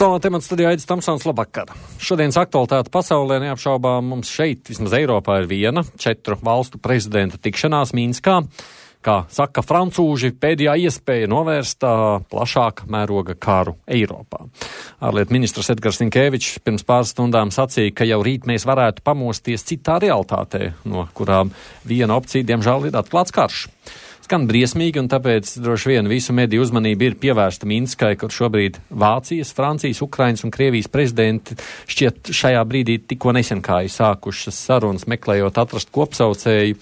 Aktuālā temata studijā Aidis Tomsons, labvakar. Šodienas aktualitāte pasaulē neapšaubām mums šeit, vismaz Eiropā, ir viena 4 valstu prezidenta tikšanās Minskā. Kā saka francūži, pēdējā iespēja novērst plašāka mēroga karu Eiropā. Ārlietu ministrs Edgars Rinkēvičs pirms pāris stundām sacīja, ka jau rīt mēs varētu pamosties citā realitātē, no kurām viena opcija, diemžēl, ir atklāts karš. Skan briesmīgi, un tāpēc droši vien visu mediju uzmanība ir pievērsta Minskai, kur šobrīd Vācijas, Francijas, Ukrainas un Krievijas prezidenti šķiet šajā brīdī tikko nesen kā sākušas sarunas, meklējot atrast kopsaucēju.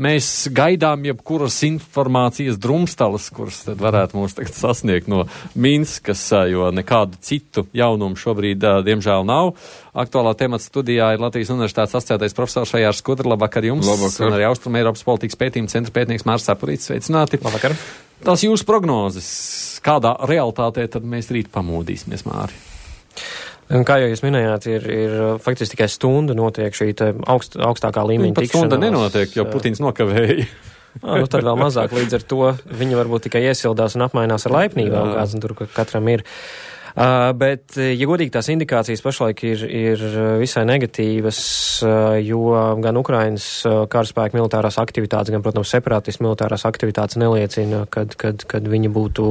Mēs gaidām jebkuras informācijas drumstalas, kuras tad varētu mūs tagad sasniegt no Minskas, jo nekādu citu jaunumu šobrīd, diemžēl, nav. Aktuālā temata studijā ir Latvijas Universitātes asociētais profesors Vajārs Skudra. Labvakar jums. Labvakar. Un arī Austrum Eiropas politikas pētījuma centra pētnieks Mārs Sapurīts. Sveicināti. Labvakar. Tās jūsu prognozes, kādā realitātē tad mēs rīt pamodīsimies, Māri? Kā jau jūs minējāt, ir faktiski tikai stunda notiek šī augstākā līmeņa tikšanās. Stunda nenotiek, jo Putins nokavēja. Tad vēl mazāk, līdz ar to viņi varbūt tikai iesildās un apmainās ar laipnībām, kāds tur katram ir. Bet, ja godīgi, tās indikācijas pašlaik ir visai negatīvas, jo gan Ukrainas karaspēka militārās aktivitātes, gan, protams, separātistu militārās aktivitātes neliecina, kad viņi būtu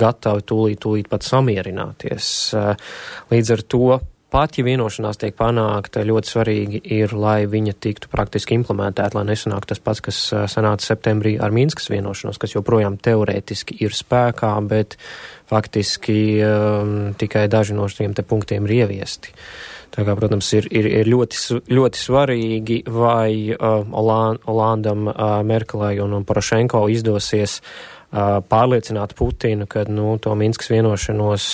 gatavi tūlīt pat samierināties. Līdz ar to, pat ja vienošanās tiek panākta, ļoti svarīgi ir, lai viņa tiktu praktiski implementēta, lai nesanāk tas pats, kas sanāca septembrī ar Minskas vienošanos, kas joprojām teorētiski ir spēkā, bet faktiski tikai daži no šiem te punktiem ir ieviesti. Tā kā, protams, ir ļoti svarīgi, vai Olandam, Merkelai un Porošenko izdosies pārliecināt Putinu, ka to Minskas vienošanos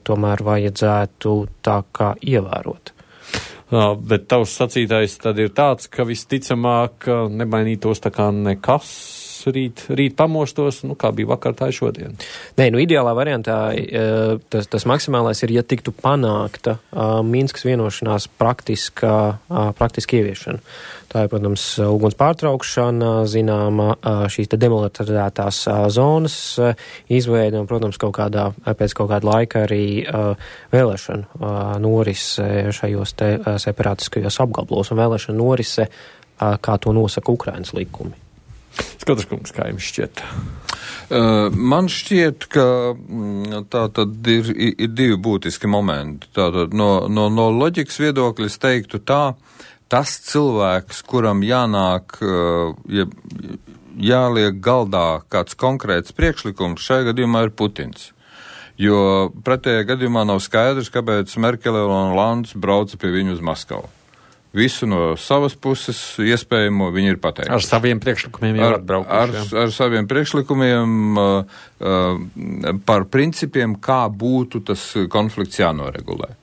tomēr vajadzētu tā kā ievērot. Bet tavs sacītais tad ir tāds, ka visticamāk nemainītos tā kā nekas rīt pamostos, kā bija vakar, tā ir šodien. Nē, ideālā variantā tas maksimālais ir, ja tiktu panākta Minskas vienošanās praktiski ieviešana. Tā ir, protams, uguns pārtraukšana, zināma šīs te demilitarizētās zonas izveida un, protams, pēc kaut kāda laika arī vēlēšana norise šajos te separātiskajos apgabalos un vēlēšana norise, kā to nosaka Ukrainas likumi. Skadraškungs, kā jums šķiet? Man šķiet, ka tā tad ir divi būtiski momenti. Tātad no loģikas viedokļa es teiktu tā, tas cilvēks, kuram jānāk, jāliek galdā kāds konkrēts priekšlikums, šajā gadījumā ir Putins. Jo pretējā gadījumā nav skaidrs, kāpēc Merkele un Olands brauca pie viņu uz Maskavu. Visu no savas puses iespējamo viņi ir pateikuši. Ar saviem priekšlikumiem jau atbraukuši. Ar saviem priekšlikumiem par principiem, kā būtu tas konflikts jānoregulē.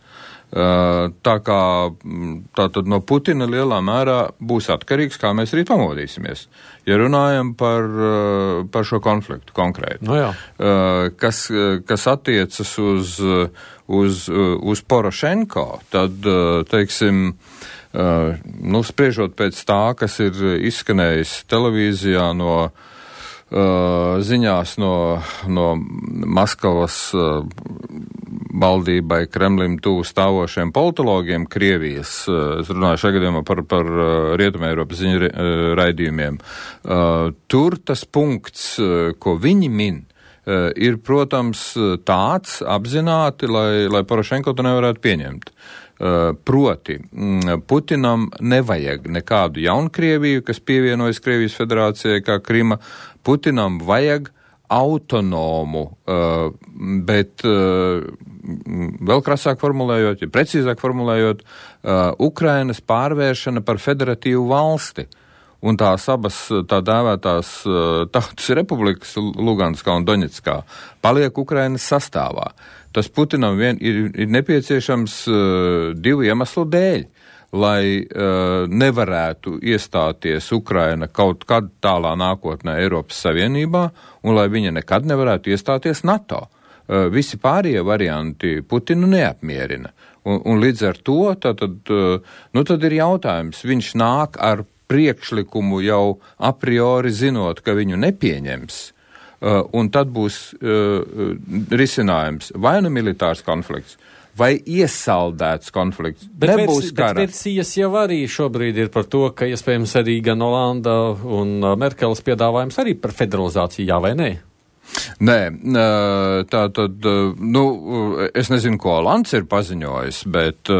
Tā kā tātad no Putina lielā mērā būs atkarīgs, kā mēs rīt pamodīsimies. Ja runājam par šo konfliktu konkrēti. No jā. Kas attiecas uz Porošenko, tad, teiksim, spriežot pēc tā, kas ir izskanējis televīzijā no ziņās no Maskavas valdībai, Kremlim tuvu stāvošiem politologiem Krievijas, es runāju šajā gadījumā par Rietumē Eiropas ziņu raidījumiem, tur tas punkts, ko viņi min, ir, protams, tāds apzināti, lai Porošenko to nevarētu pieņemt. Proti, Putinam nevajag nekādu Jaunkrieviju, kas pievienojas Krievijas federācijai kā Krima. Putinam vajag autonomu, bet vēl krasāk formulējot, ja precīzāk formulējot, Ukrainas pārvēršana par federatīvu valsti. Un tās abas tā dēvētās tautas republikas, Luganskā un Doņetskā, paliek Ukrainas sastāvā. Tas Putinam ir nepieciešams divu iemeslu dēļ, lai nevarētu iestāties Ukraina kaut kad tālā nākotnē Eiropas Savienībā un lai viņa nekad nevarētu iestāties NATO. Visi pārējie varianti Putinu neapmierina. Un līdz ar to tad ir jautājums, viņš nāk ar priekšlikumu jau a priori zinot, ka viņu nepieņems, un tad būs risinājums vai nu militārs konflikts, vai iesaldēts konflikts. Nebūs kara. Bet versijas jau arī šobrīd ir par to, ka iespējams arī gan Olanda un Merkeles piedāvājums arī par federalizāciju, jā vai nē? Nē, tā tad, es nezinu, ko Olands ir paziņojis, bet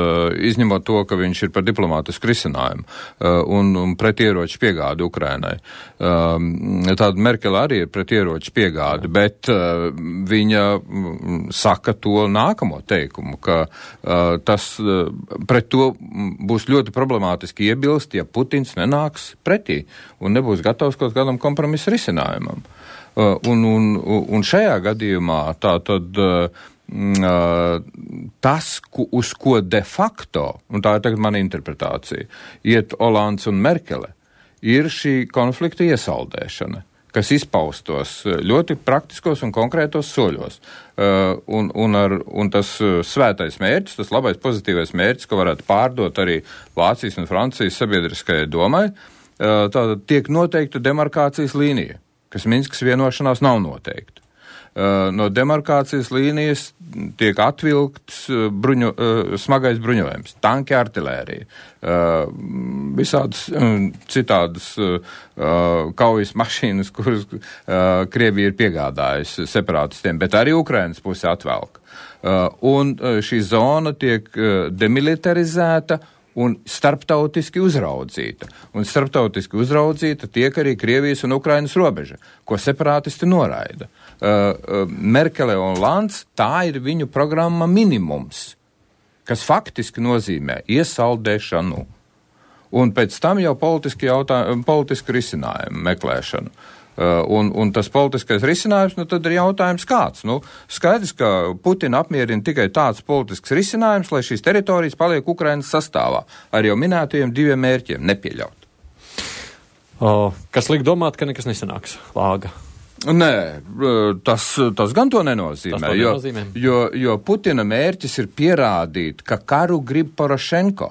izņemot to, ka viņš ir par diplomātisku risinājumu un pret ieroču piegādi Ukrainai. Tāda Merkele arī ir pret ieroču piegādi, bet viņa saka to nākamo teikumu, ka tas pret to būs ļoti problemātiski iebilst, ja Putins nenāks pretī un nebūs gatavs kaut kādam kompromisu risinājumam. Un šajā gadījumā tātad tas, uz ko de facto, un tā ir tagad mana interpretācija, iet Olands un Merkele, ir šī konflikta iesaldēšana, kas izpaustos ļoti praktiskos un konkrētos soļos. Un tas svētais mērķis, tas labais pozitīvais mērķis, ko varētu pārdot arī Vācijas un Francijas sabiedriskajai domai, tātad tiek noteikta demarkācijas līnija, kas Minskas vienošanās nav noteikti. No demarkācijas līnijas tiek atvilkts smagais bruņojums, tanki, artilērija, visādas citādas kaujas mašīnas, kuras Krievija ir piegādājusi separātistiem, bet arī Ukrainas puse atvelk. Un šī zona tiek demilitarizēta un starptautiski uzraudzīta. Un starptautiski uzraudzīta tiek arī Krievijas un Ukrainas robeža, ko separātisti noraida. Merkele un Olands, tā ir viņu programma minimums, kas faktiski nozīmē iesaldēšanu. Un pēc tam jau politisku risinājumu meklēšanu. Un tas politiskais risinājums, tad ir jautājums kāds. Skaidrs, ka Putina apmierina tikai tāds politisks risinājums, lai šīs teritorijas paliek Ukrainas sastāvā ar jau minētajiem 2 mērķiem nepieļaut. Kas liek domāt, ka nekas nesanāks, Lāga? Nē, tas gan to nenozīmē, jo Putina mērķis ir pierādīt, ka karu grib Porošenko.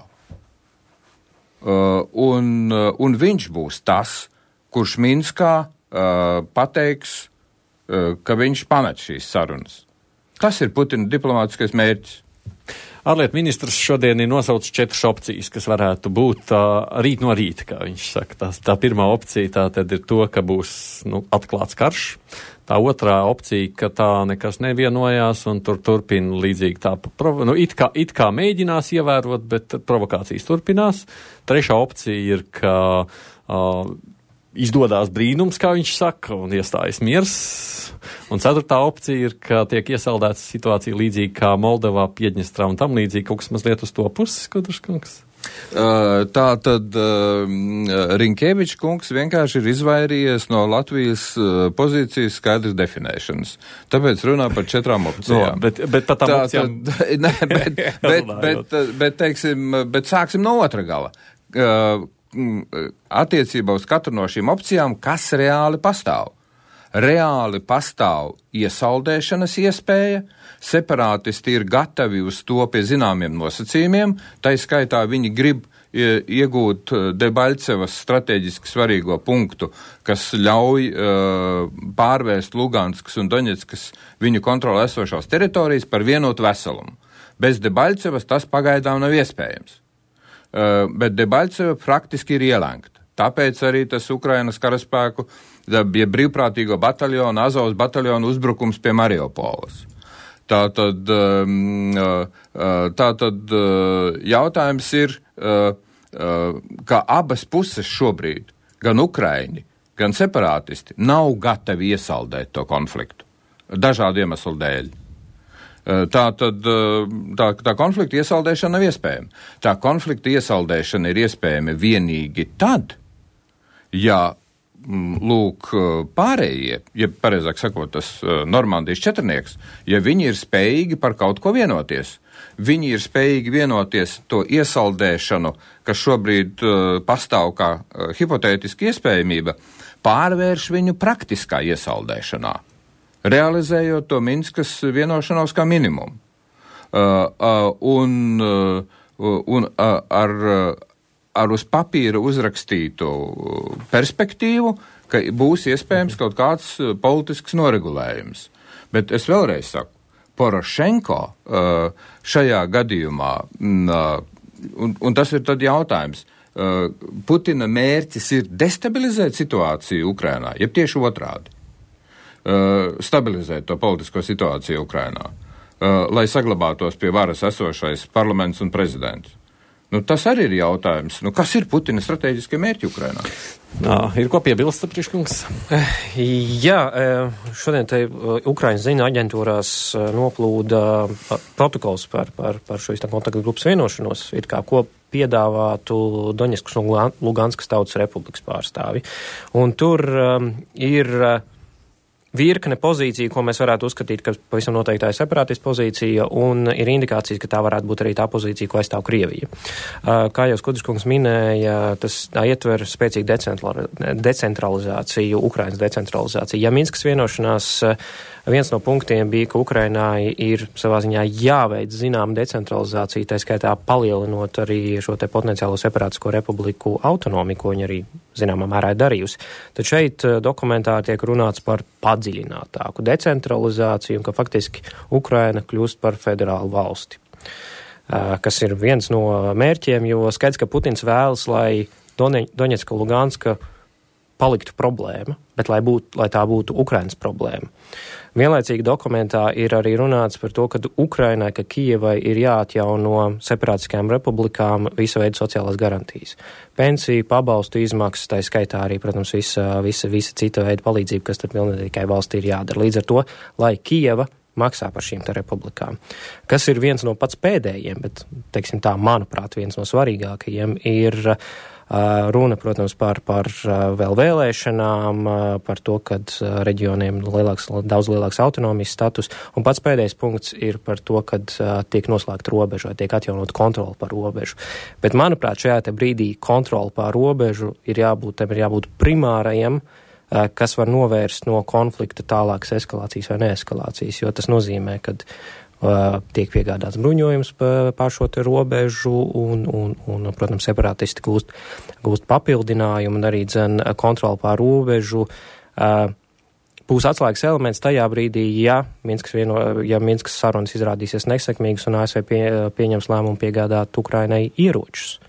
Un viņš būs tas, kurš Minskā pateiks, ka viņš pamet šīs sarunas. Tas ir Putina diplomātiskais mērķis. Ārlietu ministrs šodien ir nosaucis 4 opcijas, kas varētu būt rīt no rīta, kā viņš saka. Tā pirmā opcija tā tad ir to, ka būs atklāts karš. Tā otrā opcija, ka tā nekas nevienojās un turpina līdzīgi tā, it kā mēģinās ievērot, bet provokācijas turpinās. Trešā opcija ir, ka izdodās brīnums, kā viņš saka, un iestājas miers. Un ceturtā opcija ir, ka tiek iesaldēta situācija līdzīgi kā Moldovā, Piedņestrā un tam līdzīgi, kaut kas mazliet uz to puses, Kudrškungs. Tā tad Rinkēvičs kungs vienkārši ir izvairījies no Latvijas pozīcijas skaidras definēšanas. Tāpēc runā par 4 opcijām. Bet par tām opcijām... Bet sāksim no otra gala. Attiecībā uz katru no šīm opcijām, kas reāli pastāv. Reāli pastāv iesaldēšanas iespēja, separātisti ir gatavi uz to pie zināmiem nosacījumiem, tai skaitā viņi grib iegūt Debaļcevas strateģiski svarīgo punktu, kas ļauj pārvērst Luganskas un Doņetskas viņu kontrolē esošās teritorijas par vienotu veselumu. Bez Debaļcevas tas pagaidām nav iespējams. Bet Debaļceva praktiski ir ielēgta. Tāpēc arī tas Ukrainas karaspēku, ja brīvprātīgo bataljonu, Azovas bataljonu uzbrukums pie Mariupoles. Tātad jautājums ir, ka abas puses šobrīd, gan Ukraiņi, gan separātisti, nav gatavi iesaldēt to konfliktu. Dažādu iemeslu dēļ. Tā konflikta iesaldēšana nav iespējama. Tā konflikta iesaldēšana ir iespējama vienīgi tad, ja pārējie, ja pareizāk sakot, tas Normandijas četrnieks, ja viņi ir spējīgi par kaut ko vienoties. Viņi ir spējīgi vienoties to iesaldēšanu, kas šobrīd pastāv kā hipotētiski iespējamība, pārvērš viņu praktiskā iesaldēšanā, realizējot to Minskas vienošanos kā minimumu. Un ar uz papīra uzrakstītu perspektīvu, ka būs iespējams kaut kāds politisks noregulējums. Bet es vēlreiz saku, Porošenko šajā gadījumā, un tas ir tad jautājums, Putina mērķis ir destabilizēt situāciju Ukrainā, jeb tieši otrādi, stabilizēt to politisko situāciju Ukrainā, lai saglabātos pie varas esošais parlaments un prezidents. Tas arī ir jautājums. Kas ir Putina strateģiskie mērķi Ukrainā? Ir ko piebilst, Priekškungs? Jā, šodien te Ukraiņas ziņu aģentūrās noplūda protokols par šo kontaktu grupas vienošanos, it kā ko piedāvātu Doņetskas un Luganskas tautas republikas pārstāvi. Un tur ir virkne pozīcija, ko mēs varētu uzskatīt, ka pavisam noteikti tā ir separātistu pozīcija, un ir indikācijas, ka tā varētu būt arī tā pozīcija, ko aizstāv Krievija. Kā jau Skudriškungs minēja, tas ietver spēcīgu decentralizāciju, Ukrainas decentralizāciju. Ja Minskas vienošanās viens no punktiem bija, ka Ukrainai ir savā ziņā jāveic zinām decentralizācija, tā skaitā palielinot arī šo te potenciālo separātisko republiku autonomiju, ko viņi arī zināmā mērā ir darījusi. Tad šeit dokumentā tiek runāts par padziļinātāku decentralizāciju un ka faktiski Ukraina kļūst par federālu valsti, kas ir viens no mērķiem, jo skaidrs, ka Putins vēlas, lai Doņetska, Luganska paliktu problēma, bet lai tā būtu Ukrainas problēma. Vienlaicīgi dokumentā ir arī runāts par to, ka Ukrainai, ka Kijevai ir jāatjauno separātiskajām republikām visa veida sociālās garantijas. Pensiju, pabalstu izmaksas, tā skaitā arī, protams, visa cita veida palīdzība, kas tad pilnīgai valstī ir jādara. Līdz ar to, lai Kijeva maksā par šīm te republikām. Kas ir viens no pats pēdējiem, bet, teiksim tā, manuprāt, viens no svarīgākajiem ir runa, protams, par vēl vēlēšanām, par to, kad reģioniem daudz lielāks autonomijas status, un pats pēdējais punkts ir par to, kad tiek noslēgta robeža, vai tiek atjaunot kontroli par robežu. Bet, manuprāt, šajā te brīdī kontroli par robežu ir jābūt primārajam, kas var novērst no konflikta tālākas eskalācijas vai neeskalācijas, jo tas nozīmē, ka tiek piegādāts bruņojums pār šo te robežu un protams, separātisti gūst papildinājumu un arī kontroli pār robežu. Būs atslēgas elements tajā brīdī, ja Minskas sarunas izrādīsies nesekmīgas un ASV pieņems lēmumu piegādāt Ukrainai ieročus.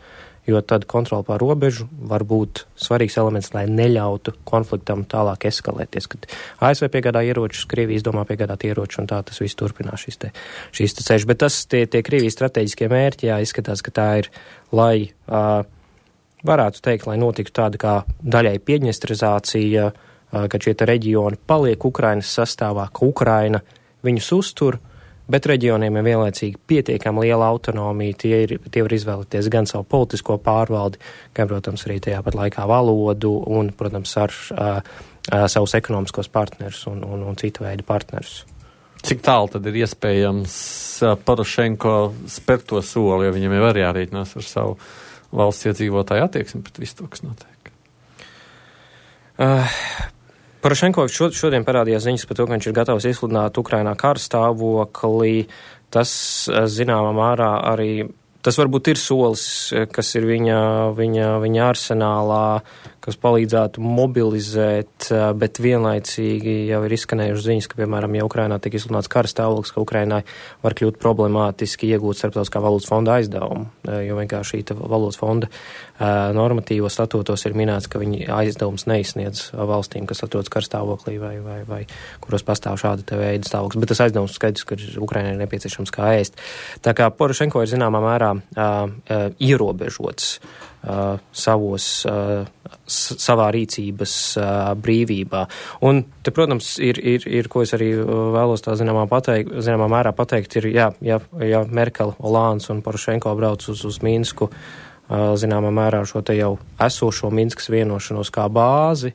Jo tad kontroli pār robežu var būt svarīgs elements, lai neļautu konfliktam tālāk eskalēties. Kad ASV piegādā ieročus, Krievijas domā piegādāt ieročus, un tā tas viss turpinās šīs te ceļš. Bet tas tie Krievijas strateģiskie mērķi, izskatās, ka tā ir, lai varētu teikt, lai notiktu tāda kā daļai piedņestrizācija, kad šie te reģioni paliek Ukrainas sastāvā, ka Ukraina viņus uztur, bet reģioniem ir vienlaicīgi pietiekami liela autonomija, tie var izvēlēties gan savu politisko pārvaldi, gan, protams, arī tajā pat laikā valodu un, protams, ar savus ekonomiskos partnerus un citu veidu partnerus. Cik tālu tad ir iespējams Porošenko spērt to soli, jo viņam jau arī jārēķinās ar savu valsts iedzīvotāju attieksmi pret visu to, kas notiek? Porošenko šodien parādījās ziņas par to, ka viņš ir gatavs izsludināt Ukrainā kara stāvokli. Tas, zināmā mērā, arī tas varbūt ir solis, kas ir viņa arsenālā, kas palīdzētu mobilizēt, bet vienlaicīgi jau ir izskanējuši ziņas, ka, piemēram, ja Ukrainā tiek izsludināts kara stāvoklis, ka Ukrainai var kļūt problemātiski iegūt Starptautiskā valūtas fonda aizdevumu, jo vienkārši šī valūtas fonda normatīvos statūtos ir minēts, ka viņi aizdevums neizsniedz valstīm, kas atrodas kara stāvoklī vai kuros pastāv šāda te veida stāvoklis. Bet tas aizdevums skaidrs, ka Ukrainai ir nepieciešams kā ēst. Tā kā Porošenko ir zināmā mērā ierobežots savā rīcības brīvībā. Un te, protams, ir ko es arī vēlos tā zināmā mērā pateikt, ir, ja Merkel, Olāns un Porošenko brauc uz Minsku, zināmā mērā šo te jau esošo Minskas vienošanos kā bāzi,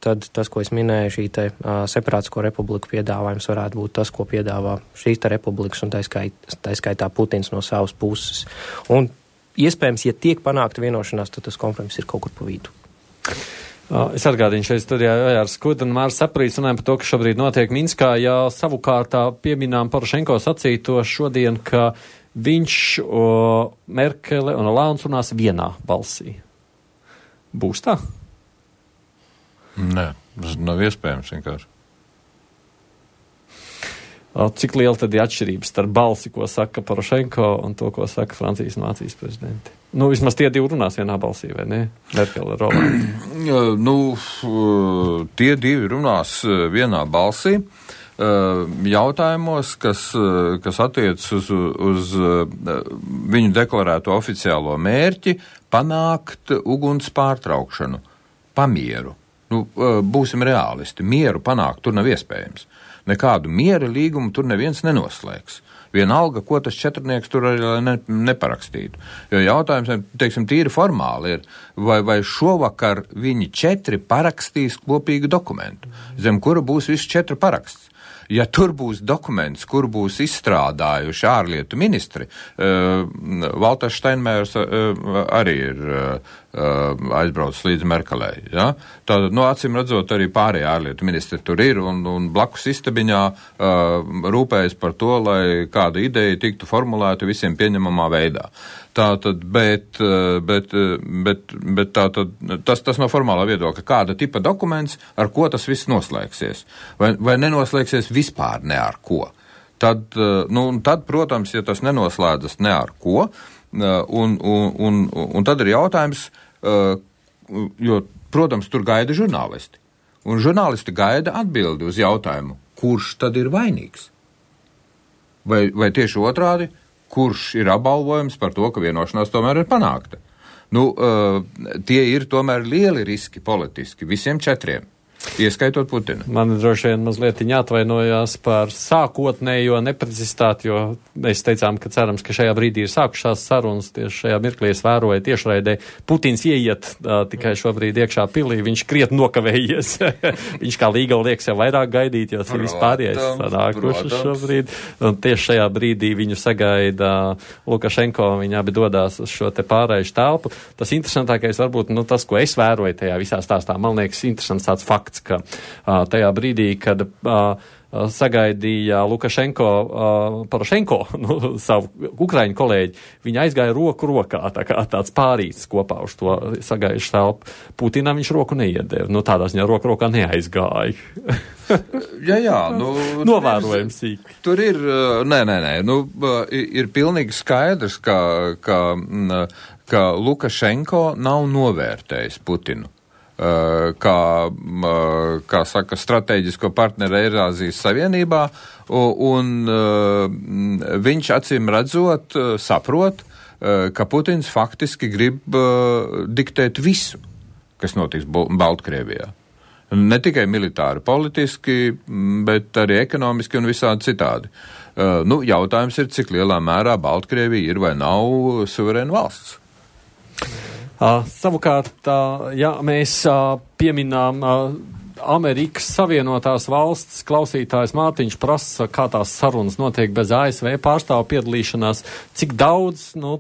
tad tas, ko es minēju, šī te separātisko republiku piedāvājums varētu būt tas, ko piedāvā šīs te republikas un tā skaitā Putins no savas puses. Un iespējams, ja tiek panākta vienošanās, tad tas kompromiss ir kaut kur pa vidu. Es atgādinu šeit studijā ar Skudu un Mārs Saprīts runājam par to, kas šobrīd notiek Minskā. Ja savukārt pieminām Porošenko sacīto šodien, ka viņš, Merkele un Olāns runās vienā balsī. Būs tā? Nē, tas nav iespējams vienkārši. Cik liela tad ir atšķirības starp balsi, ko saka Porošenko, un to, ko saka Francijas un Vācijas prezidenti? Nu, vismaz tie divi runās vienā balsī, vai ne? Merkele, Rolanda. Tie divi runās vienā balsī. Jautājumos, kas attiec uz viņu deklarēto oficiālo mērķi panākt uguns pārtraukšanu, pamieru. Būsim reālisti, mieru panākt tur nav iespējams. Nekādu miera līgumu tur neviens nenoslēgs. Vienalga, ko tas četrnieks tur arī neparakstītu. Jo jautājums, teiksim, tīri formāli ir, vai šovakar viņi 4 parakstīs kopīgu dokumentu, zem kura būs viss 4 paraksts. Ja tur būs dokuments, kur būs izstrādājuši ārlietu ministri, Valters Steinmeiers arī ir aizbraucis līdz Merkelei. Ja? Tātad, acīm redzot, arī pārējie ārlietu ministri tur ir un blakus istabiņā rūpējas par to, lai kāda ideja tiktu formulēta visiem pieņemamā veidā. Tātad, bet tātad, tas no formālā viedokļa, kāda tipa dokuments, ar ko tas viss noslēgsies, vai nenoslēgsies vispār ne ar ko. Tad, protams, ja tas nenoslēdzas ne ar ko, un tad ir jautājums, jo, protams, tur gaida žurnālisti, un žurnālisti gaida atbildi uz jautājumu, kurš tad ir vainīgs? Vai tieši otrādi? Kurš ir apbalvojums par to, ka vienošanās tomēr ir panākta. Tie ir tomēr lieli riski politiski visiem 4. Ieskaitot Putinu. Man droši vien mazliet jāatvainojās par sākotnējo neprecizitāti, jo mēs teicām, ka cerams, ka šajā brīdī ir sākušās sarunas, tieši šajā mirklī es vēroju tiešraidē. Putins ieiet tikai šobrīd iekšā pilī, viņš krietni nokavējies. Viņš kā līgava liekas jau vairāk gaidīt, jo tas vispārējais sanākuši šobrīd. Un tieši šajā brīdī viņu sagaida Lukašenko, viņi abi dodās uz šo te pārējušu telpu. Tas interesantākais varbūt, tas, ko es vēroju tajā visā stāstā, man liekas interesants tāds fakts, ka tajā brīdī, kad sagaidīja Lukašenko, Porošenko, savu ukraiņu kolēģi, viņi aizgāja roku rokā, tā kā tāds pārīts kopā uz to sagaidušu telpu. Putinam viņš roku neiedeva, tādā ziņā roku rokā neaizgāja. Jā, novērojam sīk. Tur ir, ir pilnīgi skaidrs, ka Lukašenko nav novērtējis Putinu. Kā saka, strateģisko partneri Eirāzijas Savienībā, un viņš acīm redzot saprot, ka Putins faktiski grib diktēt visu, kas notiks Baltkrievijā. Ne tikai militāri, politiski, bet arī ekonomiski un visādi citādi. Jautājums ir, cik lielā mērā Baltkrievija ir vai nav suverēna valsts. Savukārt, ja mēs pieminām Amerikas Savienotās valsts, klausītājs Mārtiņš prasa, kā tās sarunas notiek bez ASV pārstāvu piedalīšanās, cik daudz no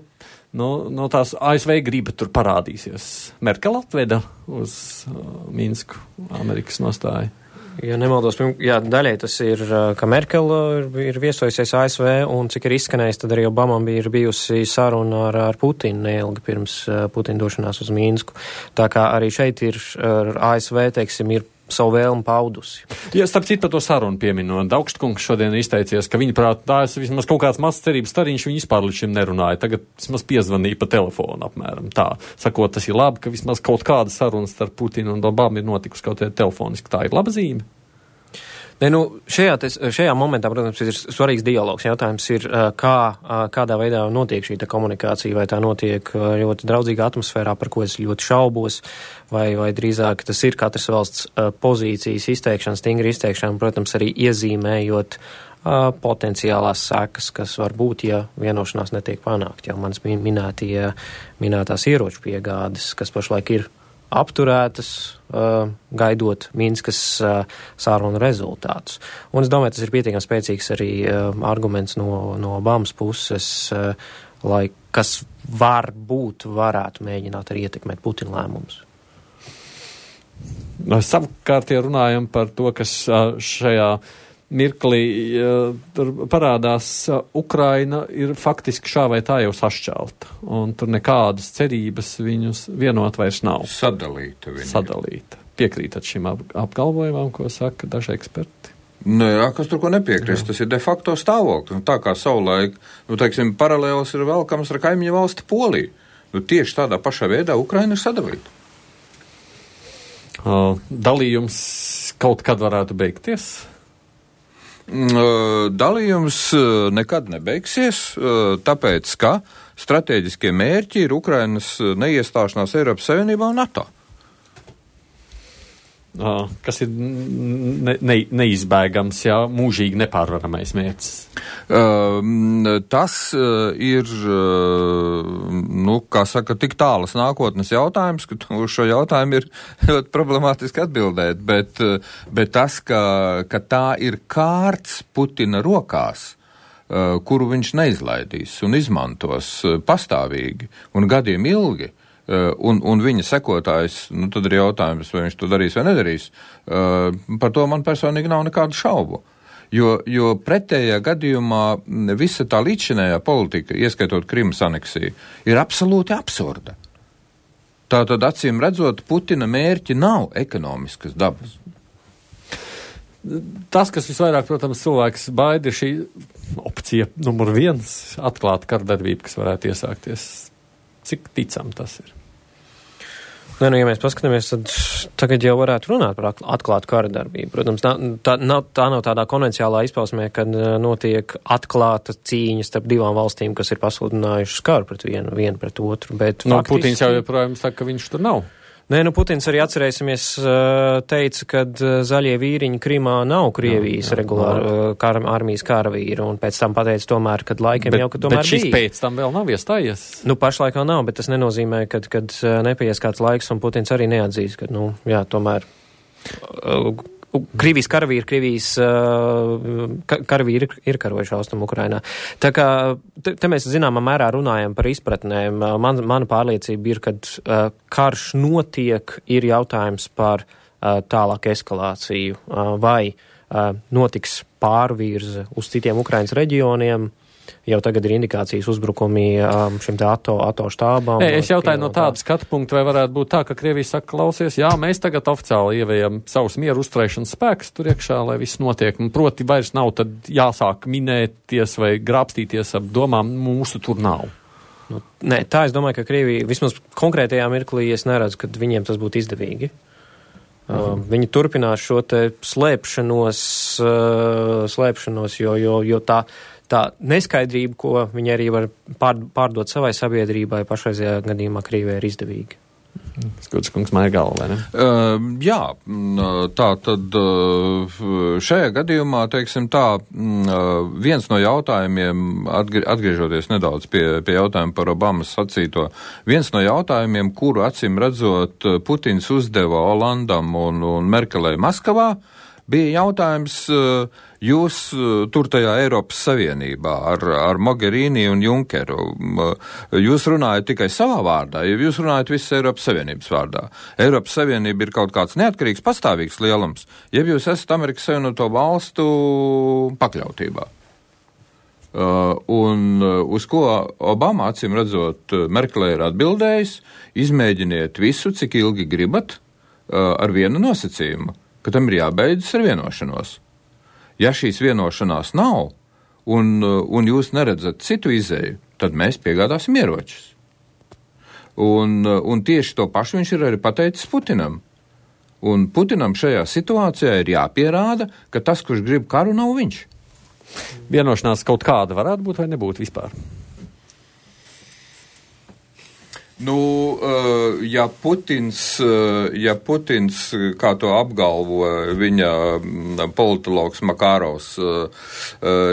tās ASV griba tur parādīsies. Merkele atveda uz Minsku Amerikas nostāju. Ja nemaldos, daļai tas ir, ka Merkele ir viesojusies ASV, un cik ir izskanējis, tad arī Obamam ir bijusi saruna ar Putinu neilgi pirms Putina došanās uz Minsku. Tā kā arī šeit ir ASV, teiksim, ir savu vēlmu paudusi. Ja, starp citu par to sarunu pieminot, Augstkungs šodien izteicies, ka viņa prāt, tās vismaz kaut kāds mazs cerības stariņš, viņi vispār līdz šim nerunāja. Tagad vismaz piezvanīja pa telefonu apmēram tā. Sakot, tas ir labi, ka vismaz kaut kāda saruna starp Putinu un Obamu ir notikusi kaut kādā telefoniski. Tā ir laba zīme. Šajā momentā, protams, ir svarīgs dialogs. Jautājums ir, kādā veidā notiek šī komunikācija, vai tā notiek ļoti draudzīgā atmosfērā, par ko es ļoti šaubos, vai drīzāk tas ir katras valsts pozīcijas izteikšana, stingri izteikšana, protams, arī iezīmējot potenciālās sekas, kas var būt, ja vienošanās netiek panākt. Jau manas minētās ieroču piegādes, kas pašlaik ir apturētas, gaidot Minskas sārunu rezultātus. Un es domāju, tas ir pietiekami spēcīgs arī arguments no Obamas puses, kas varētu mēģināt arī ietekmēt Putina lēmumus. Savukārt, ja runājam par to, kas šajā mirklī tur parādās, Ukraina ir faktiski šā vai tā jau sašķelta, un tur nekādas cerības viņus vienot vairs nav. Sadalīta. piekrītat šim apgalvojumam, ko saka daži eksperti? Jā, kas tur ko nepiekrist, tas ir de facto stāvoklis. Tā kā savulaik, teiksim, paralēls ir velkams ar kaimiņu valsti Poliju. Tieši tādā pašā veidā Ukraina ir sadalīta. Dalījums kaut kad varētu beigties? Dalījums nekad nebeigsies, tāpēc, ka stratēģiskie mērķi ir Ukrainas neiestāšanās Eiropas Savienībā un NATO. Kas ir neizbēgams, mūžīgi nepārvaramais mērķis? Tas ir, kā saka, tik tālas nākotnes jautājums, ka uz šo jautājumu ir ļoti problemātiski atbildēt, bet tas, ka tā ir kārts Putina rokās, kuru viņš neizlaidīs un izmantos pastāvīgi un gadiem ilgi, un viņa sekotājs, tad ir jautājums, vai viņš to darīs vai nedarīs, par to man personīgi nav nekādu šaubu. Jo pretējā gadījumā visa tā līdzšinējā politika, ieskaitot Krimas aneksiju, ir absolūti absurda. Tātad, acīm redzot, Putina mērķi nav ekonomiskas dabas. Tas, kas visvairāk, protams, cilvēks baida, ir šī opcija numur 1, atklāta kardarbība, kas varētu iesākties. Cik ticam tas ir? Ja mēs paskatāmies, tad tagad jau varētu runāt par atklātu kara darbību. Protams, tā nav tādā konvenciālā izpausmē, kad notiek atklāta cīņa starp divām valstīm, kas ir pasludinājušas karu pret vienu pret otru. Bet faktiski... Putins jau joprojām saka, ka viņš tur nav. Nē, Putins arī atcerēsimies teica, ka zaļie vīriņi Krimā nav Krievijas regulāri armijas karavīri, un pēc tam pateica tomēr, kad laikiem jau, ka tomēr bet šis bija. Pēc tam vēl nav iestājies? Pašlaik vēl nav, bet tas nenozīmē, kad nepaies kāds laiks, un Putins arī neatzīs, ka, tomēr Krievijas karavīri, karavīri ir karojuši Austrumu Ukrainā. Tā kā te mēs zināmā mērā runājam par izpratnēm. Mana pārliecība ir, kad karš notiek, ir jautājums par tālāku eskalāciju, vai notiks pārvirze uz citiem Ukrainas reģioniem. Jau tagad ir indikācijas uzbrukumi šim te NATO štābām. Es jautāju no tāda skatu punkta, vai varētu būt tā, ka Krievija saka, klausies, mēs tagad oficiāli ievējam savus mieru uzturēšanas spēkus tur iekšā, lai viss notiek. Proti vairs nav tad jāsāk minēties vai grābstīties ap domām, mūsu tur nav. Nē, tā es domāju, ka Krievija vismaz konkrētajā mirklī es neredzu, ka viņiem tas būtu izdevīgi. Viņi turpinās šo te slēpšanos, jo tā neskaidrība, ko viņi arī var pārdot savai sabiedrībai, pašreizajā gadījumā Krievijai ir izdevīga. Skots kungs māja galva, vai ne? Jā, tā tad šajā gadījumā, teiksim tā, viens no jautājumiem, atgriežoties nedaudz pie jautājuma par Obamas sacīto, viens no jautājumiem, kuru acīm redzot Putins uzdeva Olandam un Merkelei Maskavā, bija jautājums, jūs tur tajā Eiropas Savienībā ar Mogherini un Junkeru, jūs runājat tikai savā vārdā, ja jūs runājat visas Eiropas Savienības vārdā. Eiropas Savienība ir kaut kāds neatkarīgs, pastāvīgs lielums, ja jūs esat Amerikas Savienoto valstu pakļautībā. Un uz ko Obama, acīm redzot, Merkelē ir atbildējis, izmēģiniet visu, cik ilgi gribat, ar vienu nosacījumu, ka tam ir jābeidzas ar vienošanos. Ja šīs vienošanās nav, un jūs neredzat citu izēju, tad mēs piegādāsim ieročus. Un tieši to pašu viņš ir arī pateicis Putinam. Un Putinam šajā situācijā ir jāpierāda, ka tas, kurš grib karu, nav viņš. Vienošanās kaut kāda varētu būt vai nebūt vispār? Ja Putins, kā to apgalvo viņa politologs Makārovs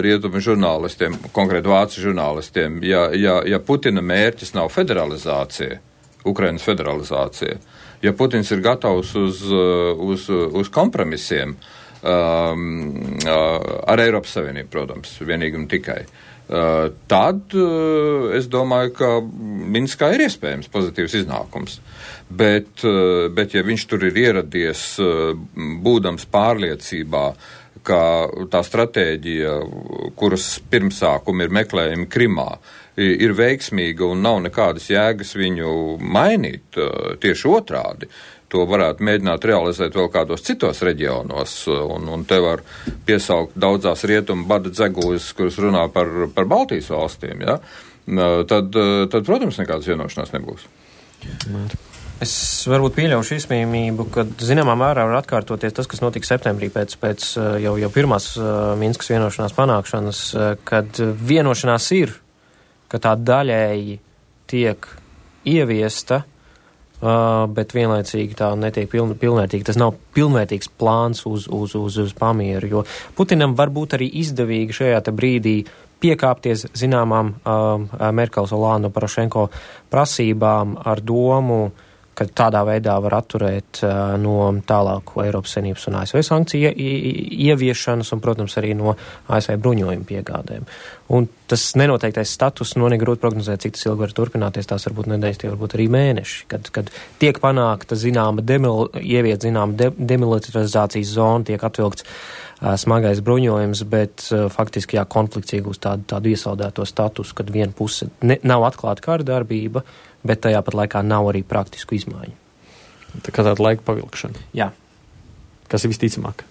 rietumu žurnālistiem, konkrēti vācu žurnālistiem, ja Putina mērķis nav federalizācija, Ukrainas federalizācija, ja Putins ir gatavs uz kompromisiem ar Eiropas Savienību, protams, vienīgi un tikai, tad es domāju, ka Minskā ir iespējams pozitīvs iznākums. Bet ja viņš tur ir ieradies, būdams pārliecībā, ka tā stratēģija, kuras pirmsākumi ir meklējumi Krimā, ir veiksmīga un nav nekādas jēgas viņu mainīt, tieši otrādi, to varētu mēģināt realizēt vēl kādos citos reģionos, un te var piesaukt daudzās rietumu bada dzeguļus, kuras runā par Baltijas valstīm, ja? Tad, protams, nekādas vienošanās nebūs. Es varbūt pieļaušu izmīmību, ka zināmā mērā var atkārtoties tas, kas notika septembrī pēc jau pirmās Minskas vienošanās panākšanas, kad vienošanās ir, ka tā daļēji tiek ieviesta, bet vienlaicīgi tā netiek pilnvērtīgi. Tas nav pilnvērtīgs plāns uz pamieru, jo Putinam var būt arī izdevīgi šajā te brīdī piekāpties zināmām Merkels, Olanda, Porošenko prasībām ar domu, ka tādā veidā var atturēt no tālāku Eiropas Savienības un ASV sankciju ieviešanas un, protams, arī no ASV bruņojumu piegādēm. Un tas nenoteiktais status, negrūti prognozēt, cik tas ilgi var turpināties, tās varbūt nedēļas, tie varbūt arī mēneši, kad tiek panākta ieviet demilitarizācijas zona, tiek atvilkts smagais bruņojums, bet faktiski konflikts iegūst tādu iesaldēto statusu, kad viena puse nav atklāta kara darbība, bet tajā pat laikā nav arī praktisku izmaiņu. Tā kā tāda laika pavilkšana. Jā. Kas ir visticamāk?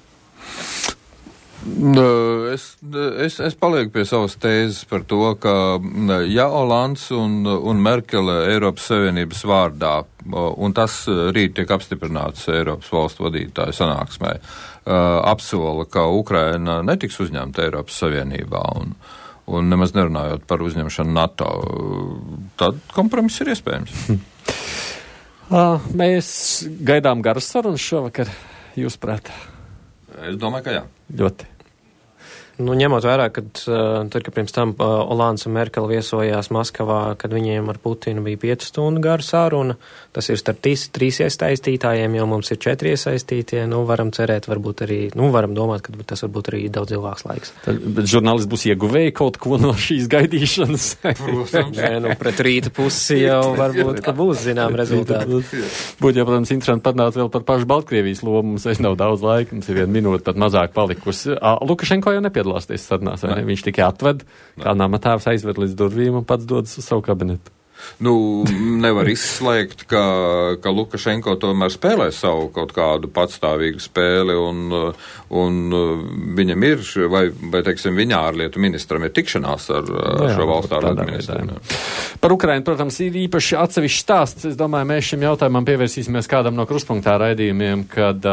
Es palieku pie savas tēzes par to, ka ja Olands un Merkele Eiropas Savienības vārdā, un tas rīt tiek apstiprināts Eiropas valstu vadītāju sanāksmē, apsola, ka Ukraina netiks uzņemta Eiropas Savienībā un nemaz nerunājot par uzņemšanu NATO, tad kompromiss ir iespējams. Mēs gaidām garas sarunas šovakar, jūs prāt? Es domāju, ka jā. Ļoti. Ņemot vērā, kad pirms tam Olands un Merkel viesojās Maskavā, kad viņiem ar Putinu bija 5 stundu gara saruna, tas ir starp 3 iesaistītājiem, jo mums ir 4 iesaistītie, varam cerēt, varbūt arī, varam domāt, ka tas varbūt arī daudz ilgāks laiks. Bet žurnālisti būs ieguvēji kaut ko no šīs gaidīšanas? Nē, pret rīta pusi jau varbūt, ka būs zinām rezultāti. Būtu jau, protams, interesanti parunāt vēl par pašu Baltkrievijas lomu, mums vairs nav daudz laika, mums ir 1 minūte pat mazāk palikusi. Lukašenko jau nepiedalāties sarunās, vai ne? Viņš tikai atved, kā namatēvs aizved līdz durvīm un pats dodas uz savu kabinetu. Nevar izslēgt, ka Lukašenko tomēr spēlē savu kaut kādu patstāvīgu spēli un viņam ir, vai teiksim, viņa ārlietu ministram ir tikšanās ar šo valstu ārlietu ministru. Par Ukrainu, protams, ir īpaši atsevišķs stāsts. Es domāju, mēs šim jautājumam pievērsīsimies kādam no kruspunktā raidījumiem, kad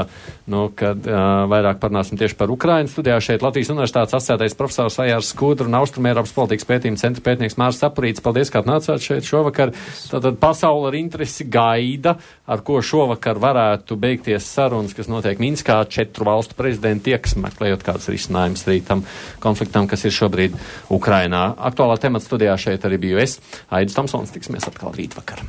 vairāk parunāsim tieši par Ukrainu. Studijā šeit Latvijas Universitātes asociētais profesors Ajārs Skudra un Austrumēropas politikas pētījuma centra pētnieks Māris Sapurīts. Paldies, ka atnācāt šeit šovakar. Tātad pasaule ar interesi gaida, ar ko šovakar varētu beigties sarunas, kas notiek Minskā, 4 valstu prezidenti tieks, meklējot kāds risinājums rītam konfliktam, kas ir šobrīd Ukrainā. Aktuālā temata studijā šeit arī biju es, Aidis Tomsons, tiksimies atkal rīt vakar.